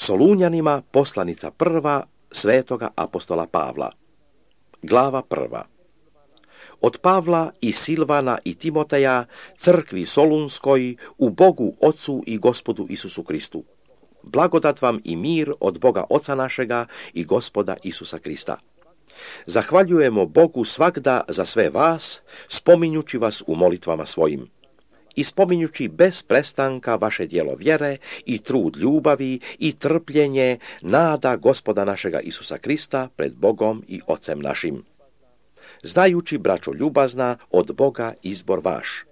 Solunjanima poslanica prva svetoga apostola Pavla. Glava prva. Od Pavla i Silvana i Timoteja, crkvi Solunskoj, u Bogu Otcu i Gospodu Isusu Kristu. Blagodat vam i mir od Boga Oca našega i Gospoda Isusa Krista. Zahvaljujemo Bogu svagda za sve vas, spominjući vas u molitvama svojim. I spominjući bez prestanka vaše djelo vjere i trud ljubavi i trpljenje, nada Gospoda našega Isusa Krista pred Bogom i Ocem našim. Znajući, braćo ljubazna, od Boga izbor vaš.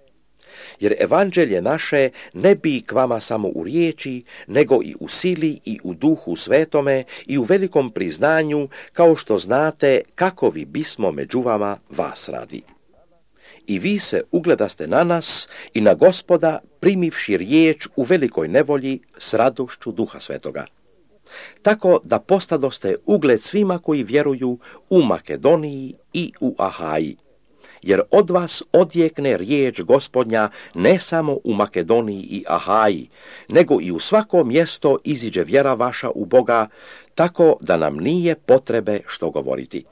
Jer evanđelje naše ne bi k vama samo u riječi, nego i u sili i u duhu svetome i u velikom priznanju, kao što znate kakovi bismo među vama vas radi. I vi se ugledaste na nas i na Gospoda, primivši riječ u velikoj nevolji s radošću Duha Svetoga. Tako da postadoste ugled svima koji vjeruju u Makedoniji i u Ahaji. Jer od vas odjekne riječ Gospodnja ne samo u Makedoniji i Ahaji, nego i u svako mjesto iziđe vjera vaša u Boga, tako da nam nije potrebe što govoriti.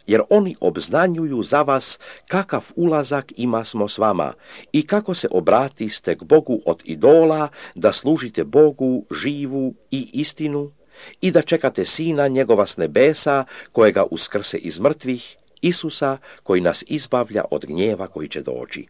Jer oni obznanjuju za vas kakav ulazak ima smo s vama i kako se obratiste k Bogu od idola, da služite Bogu živu i istinu i da čekate Sina njegova s nebesa, kojega uskrse iz mrtvih, Isusa, koji nas izbavlja od gnjeva koji će doći.